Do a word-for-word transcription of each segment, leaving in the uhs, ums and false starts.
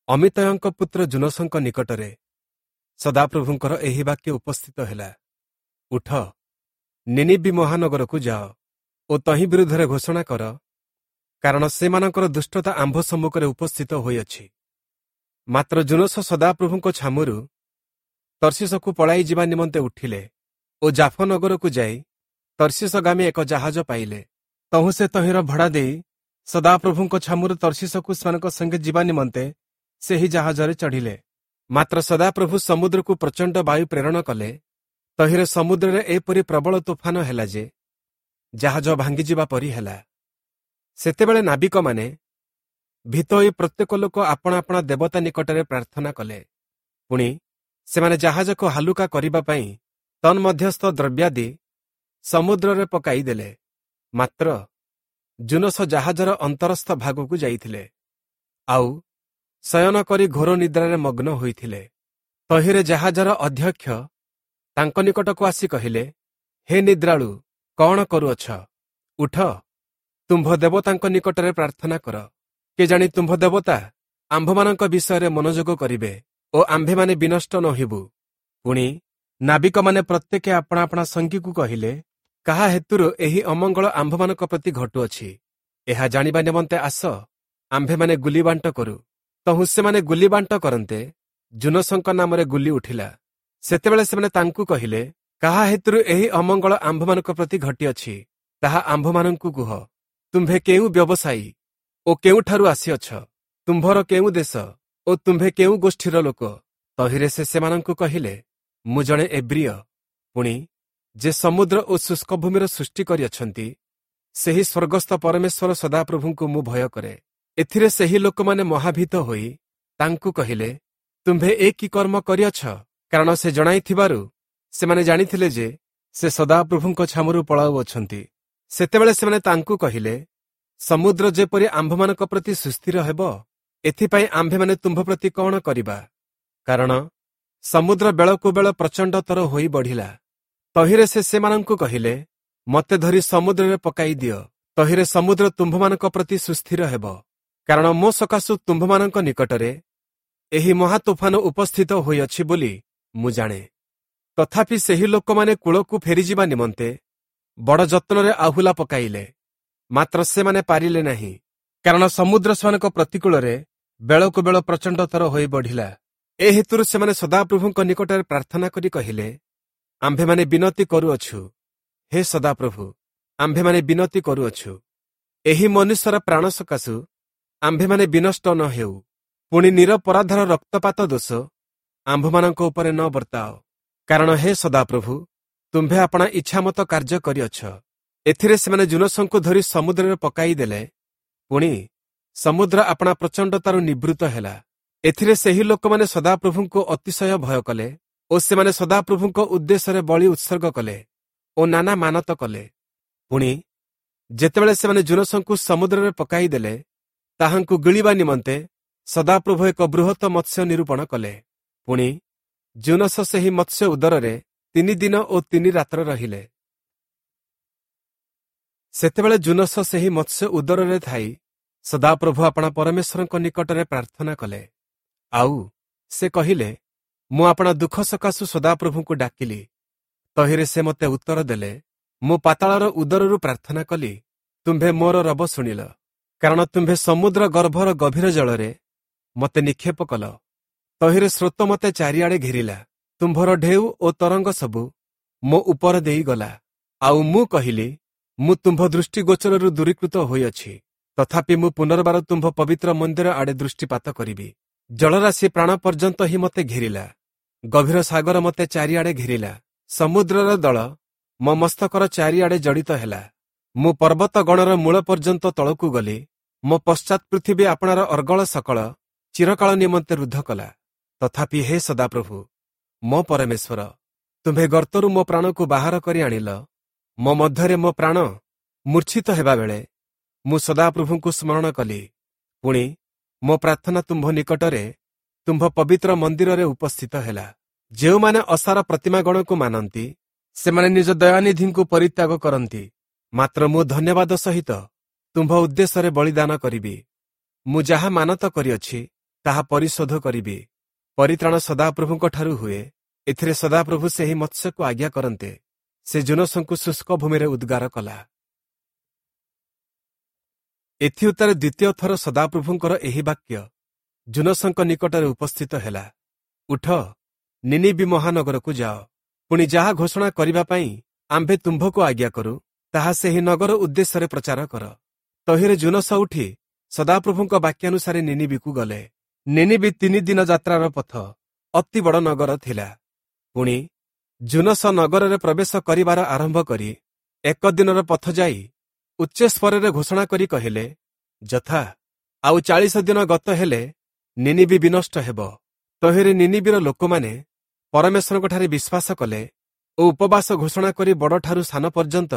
ଅମିତ୍ତୟଙ୍କ ପୁତ୍ର ଯୂନସଙ୍କ ନିକଟରେ ସଦାପ୍ରଭୁଙ୍କର ଏହି ବାକ୍ୟ ଉପସ୍ଥିତ ହେଲା, ଉଠ, ନିନିବି ମହାନଗରକୁ ଯାଅ ଓ ତହିଁ ବିରୁଦ୍ଧରେ ଘୋଷଣା କର, କାରଣ ସେମାନଙ୍କର ଦୁଷ୍ଟତା ଆମ୍ଭ ସମ୍ମୁଖରେ ଉପସ୍ଥିତ ହୋଇଅଛି। ମାତ୍ର ଯୂନସ ସଦାପ୍ରଭୁଙ୍କ ଛାମୁରୁ ତର୍ଶୀଶକୁ ପଳାଇ ଯିବା ନିମନ୍ତେ ଉଠିଲେ ଓ ଜାଫ ନଗରକୁ ଯାଇ ତର୍ଶୀଶଗାମୀ ଏକ ଜାହାଜ ପାଇଲେ। ତହୁଁ ସେ ତହିଁର ଭଡ଼ା ଦେଇ ସଦାପ୍ରଭୁଙ୍କ ଛାମୁରୁ ତର୍ଶୀଶକୁ ସେମାନଙ୍କ ସଙ୍ଗେ ଯିବା ନିମନ୍ତେ ସେହି ଜାହାଜରେ ଚଢ଼ିଲେ। ମାତ୍ର ସଦାପ୍ରଭୁ ସମୁଦ୍ରକୁ ପ୍ରଚଣ୍ଡ ବାୟୁ ପ୍ରେରଣ କଲେ। ତହିଁରେ ସମୁଦ୍ରରେ ଏପରି ପ୍ରବଳ ତୋଫାନ ହେଲା ଯେ ଜାହାଜ ଭାଙ୍ଗିଯିବା ପରି ହେଲା। ସେତେବେଳେ ନାବିକମାନେ ଭୀତ ହୋଇ ପ୍ରତ୍ୟେକ ଲୋକ ଆପଣା ଆପଣା ଦେବତା ନିକଟରେ ପ୍ରାର୍ଥନା କଲେ। ପୁଣି ସେମାନେ ଜାହାଜକୁ ହାଲୁକା କରିବା ପାଇଁ ତନ୍ମଧ୍ୟସ୍ଥ ଦ୍ରବ୍ୟାଦି ସମୁଦ୍ରରେ ପକାଇ ଦେଲେ। ମାତ୍ର ଯୂନସ ଜାହାଜର ଅନ୍ତରସ୍ଥ ଭାଗକୁ ଯାଇଥିଲେ, ଆଉ ଶୟନ କରି ଘୋର ନିଦ୍ରାରେ ମଗ୍ନ ହୋଇଥିଲେ। ତହିଁରେ ଜାହାଜର ଅଧ୍ୟକ୍ଷ ତାଙ୍କ ନିକଟକୁ ଆସି କହିଲେ, ହେ ନିଦ୍ରାଳୁ, କଣ କରୁଅଛ? ଉଠ, ତୁମ୍ଭ ଦେବତାଙ୍କ ନିକଟରେ ପ୍ରାର୍ଥନା କର। କେଜାଣି ତୁମ୍ଭ ଦେବତା ଆମ୍ଭମାନଙ୍କ ବିଷୟରେ ମନୋଯୋଗ କରିବେ ଓ ଆମ୍ଭେମାନେ ବିନଷ୍ଟ ନ ହେବୁ। ପୁଣି ନାବିକମାନେ ପ୍ରତ୍ୟେକେ ଆପଣା ଆପଣା ସଙ୍ଗୀକୁ କହିଲେ, କାହା ହେତୁରୁ ଏହି ଅମଙ୍ଗଳ ଆମ୍ଭମାନଙ୍କ ପ୍ରତି ଘଟୁଅଛି? ଏହା ଜାଣିବା ନିମନ୍ତେ ଆସ, ଆମ୍ଭେମାନେ ଗୁଲିବାଣ୍ଟ କରୁ। ତହୁଁ ସେମାନେ ଗୁଲିବାଣ୍ଟ କରନ୍ତେ ଯୂନସଙ୍କ ନାମରେ ଗୁଲି ଉଠିଲା। ସେତେବେଳେ ସେମାନେ ତାଙ୍କୁ କହିଲେ, କାହା ହେତୁରୁ ଏହି ଅମଙ୍ଗଳ ଆମ୍ଭମାନଙ୍କ ପ୍ରତି ଘଟିଅଛି, ତାହା ଆମ୍ଭମାନଙ୍କୁ କୁହ। ତୁମ୍ଭେ କେଉଁ ବ୍ୟବସାୟୀ ଓ କେଉଁଠାରୁ ଆସିଅଛ? ତୁମ୍ଭର କେଉଁ ଦେଶ ଓ ତୁମ୍ଭେ କେଉଁ ଗୋଷ୍ଠୀର ଲୋକ? ତହିଁରେ ସେ ସେମାନଙ୍କୁ କହିଲେ, ମୁଁ ଜଣେ ଏବ୍ରିୟ। ପୁଣି ଯେ ସମୁଦ୍ର ଓ ଶୁଷ୍କ ଭୂମିର ସୃଷ୍ଟି କରିଅଛନ୍ତି, ସେହି ସ୍ୱର୍ଗସ୍ଥ ପରମେଶ୍ୱର ସଦାପ୍ରଭୁଙ୍କୁ ମୁଁ ଭୟ କରେ। ଏଥିରେ ସେହି ଲୋକମାନେ ମହାଭୀତ ହୋଇ ତାଙ୍କୁ କହିଲେ, ତୁମ୍ଭେ ଏ କି କର୍ମ କରିଅଛ? କାରଣ ସେ ଜଣାଇଥିବାରୁ ସେମାନେ ଜାଣିଥିଲେ ଯେ ସେ ସଦାପ୍ରଭୁଙ୍କ ଛାମୁରୁ ପଳାଉଅଛନ୍ତି। ସେତେବେଳେ ସେମାନେ ତାଙ୍କୁ କହିଲେ, ସମୁଦ୍ର ଯେପରି ଆମ୍ଭମାନଙ୍କ ପ୍ରତି ସୁସ୍ଥିର ହେବ, ଏଥିପାଇଁ ଆମ୍ଭେମାନେ ତୁମ୍ଭ ପ୍ରତି କଣ କରିବା? କାରଣ ସମୁଦ୍ର ବେଳକୁ ବେଳ ପ୍ରଚଣ୍ଡତର ହୋଇ ବଢ଼ିଲା। ତହିଁରେ ସେ ସେମାନଙ୍କୁ କହିଲେ, ମୋତେ ଧରି ସମୁଦ୍ରରେ ପକାଇ ଦିଅ, ତହିଁରେ ସମୁଦ୍ର ତୁମ୍ଭମାନଙ୍କ ପ୍ରତି ସୁସ୍ଥିର ହେବ। କାରଣ ମୋ ସକାଶୁ ତୁମ୍ଭମାନଙ୍କ ନିକଟରେ ଏହି ମହାତୋଫାନ ଉପସ୍ଥିତ ହୋଇଅଛି ବୋଲି ମୁଁ ଜାଣେ। ତଥାପି ସେହି ଲୋକମାନେ କୂଳକୁ ଫେରିଯିବା ନିମନ୍ତେ ବଡ଼ ଯତ୍ନରେ ଆହୁଲା ପକାଇଲେ, ମାତ୍ର ସେମାନେ ପାରିଲେ ନାହିଁ, କାରଣ ସମୁଦ୍ର ସେମାନଙ୍କ ପ୍ରତିକୂଳରେ ବେଳକୁ ବେଳ ପ୍ରଚଣ୍ଡତର ହୋଇ ବଢ଼ିଲା। ଏ ହେତୁରୁ ସେମାନେ ସଦାପ୍ରଭୁଙ୍କ ନିକଟରେ ପ୍ରାର୍ଥନା କରି କହିଲେ, ଆମ୍ଭେମାନେ ବିନତି କରୁଅଛୁ, ହେ ସଦାପ୍ରଭୁ, ଆମ୍ଭେମାନେ ବିନତି କରୁଅଛୁ, ଏହି ମନୁଷ୍ୟର ପ୍ରାଣ ସକାଶୁ ଆମ୍ଭେମାନେ ବିନଷ୍ଟ ନ ହେଉ, ପୁଣି ନିରପରାଧର ରକ୍ତପାତ ଦୋଷ ଆମ୍ଭମାନଙ୍କ ଉପରେ ନ ବର୍ତ୍ତାଅ। କାରଣ ହେ ସଦାପ୍ରଭୁ, ତୁମ୍ଭେ ଆପଣା ଇଚ୍ଛାମତ କାର୍ଯ୍ୟ କରିଅଛ। ଏଥିରେ ସେମାନେ ଯୂନସଙ୍କୁ ଧରି ସମୁଦ୍ରରେ ପକାଇ ଦେଲେ। ପୁଣି ସମୁଦ୍ର ଆପଣା ପ୍ରଚଣ୍ଡତାରୁ ନିବୃତ୍ତ ହେଲା। ଏଥିରେ ସେହି ଲୋକମାନେ ସଦାପ୍ରଭୁଙ୍କୁ ଅତିଶୟ ଭୟ କଲେ ଓ ସେମାନେ ସଦାପ୍ରଭୁଙ୍କ ଉଦ୍ଦେଶ୍ୟରେ ବଳି ଉତ୍ସର୍ଗ କଲେ ଓ ନାନା ମାନତ କଲେ। ପୁଣି ଯେତେବେଳେ ସେମାନେ ଯୂନସଙ୍କୁ ସମୁଦ୍ରରେ ପକାଇ ଦେଲେ, ତାହାଙ୍କୁ ଗିଳିବା ନିମନ୍ତେ ସଦାପ୍ରଭୁ ଏକ ବୃହତ ମତ୍ସ୍ୟ ନିରୂପଣ କଲେ। ପୁଣି ଯୂନସ ସେହି ମତ୍ସ୍ୟ ଉଦରରେ ତିନି ଦିନ ଓ ତିନି ରାତ୍ର ରହିଲେ। ସେତେବେଳେ ଯୂନସ ସେହି ମତ୍ସ୍ୟ ଉଦରରେ ଥାଇ ସଦାପ୍ରଭୁ ଆପଣା ପରମେଶ୍ୱରଙ୍କ ନିକଟରେ ପ୍ରାର୍ଥନା କଲେ। ଆଉ ସେ କହିଲେ, ମୁଁ ଆପଣା ଦୁଃଖ ସକାଶୁ ସଦାପ୍ରଭୁଙ୍କୁ ଡାକିଲି, ତହିଁରେ ସେ ମୋତେ ଉତ୍ତର ଦେଲେ। ମୁଁ ପାତାଳର ଉଦରରୁ ପ୍ରାର୍ଥନା କଲି, ତୁମ୍ଭେ ମୋର ରବ ଶୁଣିଲ। କାରଣ ତୁମ୍ଭେ ସମୁଦ୍ର ଗର୍ଭର ଗଭୀର ଜଳରେ ମୋତେ ନିକ୍ଷେପ କଲ, ତହିଁରେ ସ୍ରୋତ ମୋତେ ଚାରିଆଡ଼େ ଘେରିଲା। ତୁମ୍ଭର ଢେଉ ଓ ତରଙ୍ଗ ସବୁ ମୋ ଉପର ଦେଇଗଲା। ଆଉ ମୁଁ କହିଲି, ମୁଁ ତୁମ୍ଭ ଦୃଷ୍ଟିଗୋଚରରୁ ଦୂରୀକୃତ ହୋଇଅଛି, ତଥାପି ମୁଁ ପୁନର୍ବାର ତୁମ୍ଭ ପବିତ୍ର ମନ୍ଦିର ଆଡ଼େ ଦୃଷ୍ଟିପାତ କରିବି। ଜଳରାଶି ପ୍ରାଣ ପର୍ଯ୍ୟନ୍ତ ହିଁ ମୋତେ ଘେରିଲା, ଗଭୀର ସାଗର ମୋତେ ଚାରିଆଡ଼େ ଘେରିଲା। ସମୁଦ୍ରର ଦଳ ମୋ ମସ୍ତକର ଚାରିଆଡ଼େ ଜଡ଼ିତ ହେଲା। ମୁଁ ପର୍ବତ ଗଣର ମୂଳ ପର୍ଯ୍ୟନ୍ତ ତଳକୁ ଗଲି। ମୋ ପଶ୍ଚାତ୍ ପୃଥିବୀ ଆପଣାର ଅର୍ଗଳ ସକଳ ଚିରକାଳ ନିମନ୍ତେ ରୁଦ୍ଧ କଲା। ତଥାପି ହେ ସଦାପ୍ରଭୁ ମୋ ପରମେଶ୍ୱର, ତୁମ୍ଭେ ଗର୍ତ୍ତରୁ ମୋ ପ୍ରାଣକୁ ବାହାର କରି ଆଣିଲ। ମୋ ମଧ୍ୟରେ ମୋ ପ୍ରାଣ ମୂର୍ଚ୍ଛିତ ହେବାବେଳେ ମୁଁ ସଦାପ୍ରଭୁଙ୍କୁ ସ୍ମରଣ କଲି। ପୁଣି ମୋ ପ୍ରାର୍ଥନା ତୁମ୍ଭ ନିକଟରେ ତୁମ୍ଭ ପବିତ୍ର ମନ୍ଦିରରେ ଉପସ୍ଥିତ ହେଲା। ଯେଉଁମାନେ ଅସାର ପ୍ରତିମାଗଣକୁ ମାନନ୍ତି, ସେମାନେ ନିଜ ଦୟାନିଧିଙ୍କୁ ପରିତ୍ୟାଗ କରନ୍ତି। ମାତ୍ର ମୁଁ ଧନ୍ୟବାଦ ସହିତ ତୁମ୍ଭ ଉଦ୍ଦେଶ୍ୟରେ ବଳିଦାନ କରିବି। ମୁଁ ଯାହା ମାନତ କରିଅଛି, ତାହା ପରିଶୋଧ କରିବି। ପରିତ୍ରାଣ ସଦାପ୍ରଭୁଙ୍କ ଠାରୁ ହୁଏ। ଏଥିରେ ସଦାପ୍ରଭୁ ସେହି ମତ୍ସ୍ୟକୁ ଆଜ୍ଞା କରନ୍ତେ ସେ ଯୂନସଙ୍କୁ ଶୁଷ୍କ ଭୂମିରେ ଉଦ୍ଗାର କଲା। ଏଥିଉତ୍ତାରେ ଦ୍ୱିତୀୟ ଥର ସଦାପ୍ରଭୁଙ୍କର ଏହି ବାକ୍ୟ ଯୂନସଙ୍କ ନିକଟରେ ଉପସ୍ଥିତ ହେଲା, ଉଠ, ନିନିବି ମହାନଗରକୁ ଯାଅ, ପୁଣି ଯାହା ଘୋଷଣା କରିବା ପାଇଁ ଆମ୍ଭେ ତୁମ୍ଭକୁ ଆଜ୍ଞା କରୁ ତାହା ସେହି ନଗର ଉଦ୍ଦେଶ୍ୟରେ ପ୍ରଚାର କର। ତହିଁରେ ଯୂନସ ଉଠି ସଦାପ୍ରଭୁଙ୍କ ବାକ୍ୟାନୁସାରେ ନିନିବିକୁ ଗଲେ। ନିନିବି ତିନି ଦିନ ଯାତ୍ରାର ପଥ, ଅତି ବଡ଼ ନଗର ଥିଲା। ପୁଣି ଯୂନସ ନଗରରେ ପ୍ରବେଶ କରିବାର ଆରମ୍ଭ କରି ଏକ ଦିନର ପଥ ଯାଇ ଉଚ୍ଚସ୍ୱରରେ ଘୋଷଣା କରି କହିଲେ, ଯଥା ଆଉ ଚାଳିଶ ଦିନ ଗତ ହେଲେ ନିନିବି ବିନଷ୍ଟ ହେବ। ତହିଁରେ ନିନିବିର ଲୋକମାନେ ପରମେଶ୍ୱରଙ୍କଠାରେ ବିଶ୍ୱାସ କଲେ ଓ ଉପବାସ ଘୋଷଣା କରି ବଡ଼ଠାରୁ ସାନ ପର୍ଯ୍ୟନ୍ତ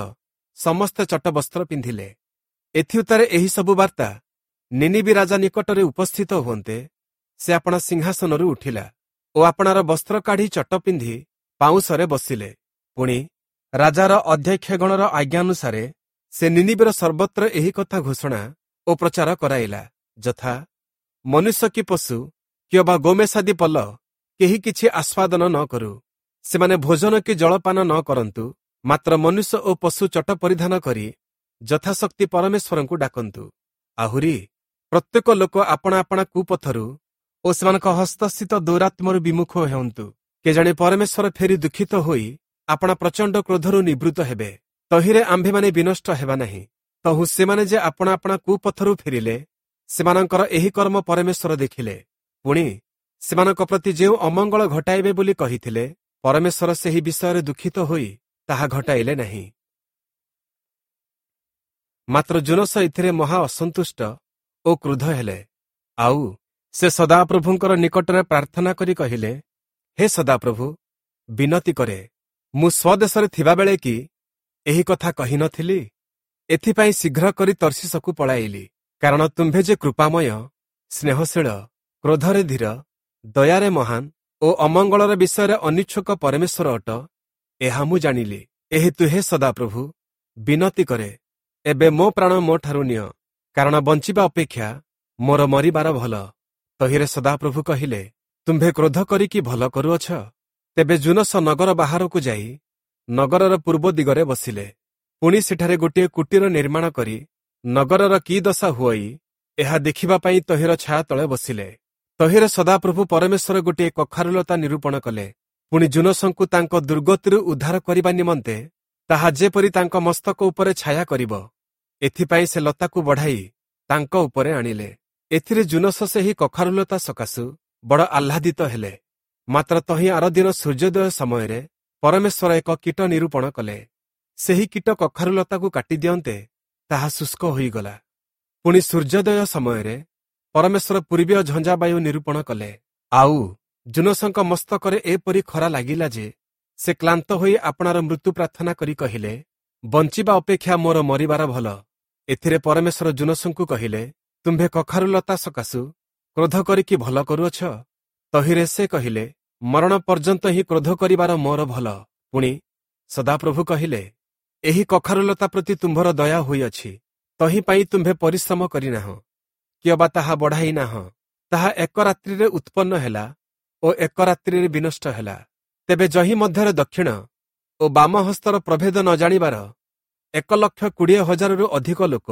ସମସ୍ତେ ଚଟବସ୍ତ୍ର ପିନ୍ଧିଲେ। ଏଥିଉତ୍ତାରେ ଏହି ସବୁ ବାର୍ତ୍ତା ନିନିବି ରାଜା ନିକଟରେ ଉପସ୍ଥିତ ହୁଅନ୍ତେ ସେ ଆପଣା ସିଂହାସନରୁ ଉଠିଲା ଓ ଆପଣାର ବସ୍ତ୍ର କାଢ଼ି ଚଟ ପିନ୍ଧି ପାଉଁଶରେ ବସିଲେ। ପୁଣି ରାଜାର ଅଧ୍ୟକ୍ଷଗଣର ଆଜ୍ଞାନୁସାରେ ସେ ନିନିବିର ସର୍ବତ୍ର ଏହି କଥା ଘୋଷଣା ଓ ପ୍ରଚାର କରାଇଲା, ଯଥା ମନୁଷ୍ୟ କି ପଶୁ କିମ୍ବା ଗୋମେଷାଦି ପଲ କେହି କିଛି ଆସ୍ୱାଦନ ନ କରୁ, ସେମାନେ ଭୋଜନ କି ଜଳପାନ ନ କରନ୍ତୁ, ମାତ୍ର ମନୁଷ୍ୟ ଓ ପଶୁ ଚଟ ପରିଧାନ କରି ଯଥାଶକ୍ତି ପରମେଶ୍ୱରଙ୍କୁ ଡାକନ୍ତୁ। ଆହୁରି ପ୍ରତ୍ୟେକ ଲୋକ ଆପଣା ଆପଣା କୁପଥରୁ ଓ ସେମାନଙ୍କ ହସ୍ତସ୍ଥିତ ଦୌରାତ୍ମ୍ୟରୁ ବିମୁଖ ହେଉନ୍ତୁ। କେଜାଣି ପରମେଶ୍ୱର ଫେରି ଦୁଃଖିତ ହୋଇ ଆପଣା ପ୍ରଚଣ୍ଡ କ୍ରୋଧରୁ ନିବୃତ୍ତ ହେବେ, ତହିଁରେ ଆମ୍ଭେମାନେ ବିନଷ୍ଟ ହେବା ନାହିଁ। ତହୁଁ ସେମାନେ ଯେ ଆପଣା ଆପଣା କୁପଥରୁ ଫେରିଲେ, ସେମାନଙ୍କର ଏହି କର୍ମ ପରମେଶ୍ୱର ଦେଖିଲେ। ପୁଣି ସେମାନଙ୍କ ପ୍ରତି ଯେଉଁ ଅମଙ୍ଗଳ ଘଟାଇବେ ବୋଲି କହିଥିଲେ, ପରମେଶ୍ୱର ସେହି ବିଷୟରେ ଦୁଃଖିତ ହୋଇ ତାହା ଘଟାଇଲେ ନାହିଁ। ମାତ୍ର ଯୂନସ ଏଥିରେ ମହା ଅସନ୍ତୁଷ୍ଟ ଓ କ୍ରୁଦ୍ଧ ହେଲେ। ଆଉ ସେ ସଦାପ୍ରଭୁଙ୍କର ନିକଟରେ ପ୍ରାର୍ଥନା କରି କହିଲେ, ହେ ସଦାପ୍ରଭୁ, ବିନତି କରେ, ମୁଁ ସ୍ୱଦେଶରେ ଥିବାବେଳେ କି ଏହି କଥା କହିନଥିଲି? ଏଥିପାଇଁ ଶୀଘ୍ର କରି ତର୍ଶୀଶକୁ ପଳାଇଲି। କାରଣ ତୁମ୍ଭେ ଯେ କୃପାମୟ, ସ୍ନେହଶୀଳ, କ୍ରୋଧରେ ଧୀର, ଦୟାରେ ମହାନ ଓ ଅମଙ୍ଗଳର ବିଷୟରେ ଅନିଚ୍ଛୁକ ପରମେଶ୍ୱର ଅଟ, ଏହା ମୁଁ ଜାଣିଲି। ଏହେତୁ ହେ ସଦାପ୍ରଭୁ, ବିନତି କରେ, ଏବେ ମୋ ପ୍ରାଣ ମୋ ଠାରୁ ନିଅ, କାରଣ ବଞ୍ଚିବା ଅପେକ୍ଷା ମୋର ମରିବାର ଭଲ। ତହିଁରେ ସଦାପ୍ରଭୁ କହିଲେ, ତୁମ୍ଭେ କ୍ରୋଧ କରିକି ଭଲ କରୁଅଛ? ତେବେ ଯୂନସ ନଗର ବାହାରକୁ ଯାଇ ନଗରର ପୂର୍ବ ଦିଗରେ ବସିଲେ। ପୁଣି ସେଠାରେ ଗୋଟିଏ କୁଟୀର ନିର୍ମାଣ କରି ନଗରର କି ଦଶା ହୁଅଇ ଏହା ଦେଖିବା ପାଇଁ ତହିଁର ଛାୟା ତଳେ ବସିଲେ। ତହିଁରେ ସଦାପ୍ରଭୁ ପରମେଶ୍ୱର ଗୋଟିଏ କଖାରୁଲତା ନିରୂପଣ କଲେ। ପୁଣି ଯୂନସଙ୍କୁ ତାଙ୍କ ଦୁର୍ଗତିରୁ ଉଦ୍ଧାର କରିବା ନିମନ୍ତେ ତାହା ଯେପରି ତାଙ୍କ ମସ୍ତକ ଉପରେ ଛାୟା କରିବ, ଏଥିପାଇଁ ସେ ଲତାକୁ ବଢ଼ାଇ ତାଙ୍କ ଉପରେ ଆଣିଲେ। ଏଥିରେ ଯୂନସ ସେହି କଖାରୁଲତା ସକାଶୁ ବଡ଼ ଆହ୍ଲାଦିତ ହେଲେ। ମାତ୍ର ତହିଁ ଆରଦିନ ସୂର୍ଯ୍ୟୋଦୟ ସମୟରେ ପରମେଶ୍ୱର ଏକ କୀଟ ନିରୂପଣ କଲେ। ସେହି କୀଟ କଖାରୁଲତାକୁ କାଟି ଦିଅନ୍ତେ ତାହା ଶୁଷ୍କ ହୋଇଗଲା। ପୁଣି ସୂର୍ଯ୍ୟୋଦୟ ସମୟରେ ପରମେଶ୍ୱର ପୂର୍ବୀୟ ଝଞ୍ଜାବାୟୁ ନିରୂପଣ କଲେ। ଆଉ ଯୂନସଙ୍କ ମସ୍ତକରେ ଏପରି ଖରା ଲାଗିଲା ଯେ ସେ କ୍ଳାନ୍ତ ହୋଇ ଆପଣାର ମୃତ୍ୟୁ ପ୍ରାର୍ଥନା କରି କହିଲେ, ବଞ୍ଚିବା ଅପେକ୍ଷା ମୋର ମରିବାର ଭଲ। ଏଥିରେ ପରମେଶ୍ୱର ଯୂନସଙ୍କୁ କହିଲେ, ତୁମ୍ଭେ କଖାରୁଲତା ସକାଶୁ କ୍ରୋଧ କରିକି ଭଲ କରୁଅଛ? ତହିଁରେ ସେ କହିଲେ, ମରଣ ପର୍ଯ୍ୟନ୍ତ ହିଁ କ୍ରୋଧ କରିବାର ମୋର ଭଲ। ପୁଣି ସଦାପ୍ରଭୁ କହିଲେ, ଏହି କଖାରୁଲତା ପ୍ରତି ତୁମ୍ଭର ଦୟା ହୋଇଅଛି, ତହିଁ ପାଇଁ ତୁମ୍ଭେ ପରିଶ୍ରମ କରିନାହଁ କିଅବା ତାହା ବଢ଼ାଇ ନାହଁ। ତାହା ଏକ ରାତ୍ରିରେ ଉତ୍ପନ୍ନ ହେଲା ଓ ଏକ ରାତ୍ରିରେ ବିନଷ୍ଟ ହେଲା। ତେବେ ଯହିଁ ମଧ୍ୟରେ ଦକ୍ଷିଣ ଓ ବାମ ହସ୍ତର ପ୍ରଭେଦ ନ ଜାଣିବାର ଏକ ଲକ୍ଷ କୋଡ଼ିଏ ହଜାରରୁ ଅଧିକ ଲୋକ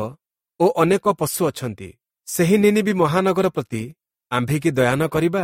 ଓ ଅନେକ ପଶୁ ଅଛନ୍ତି, ସେହି ନିନିବି ମହାନଗର ପ୍ରତି ଆମ୍ଭେ କି ଦୟା ନ କରିବା?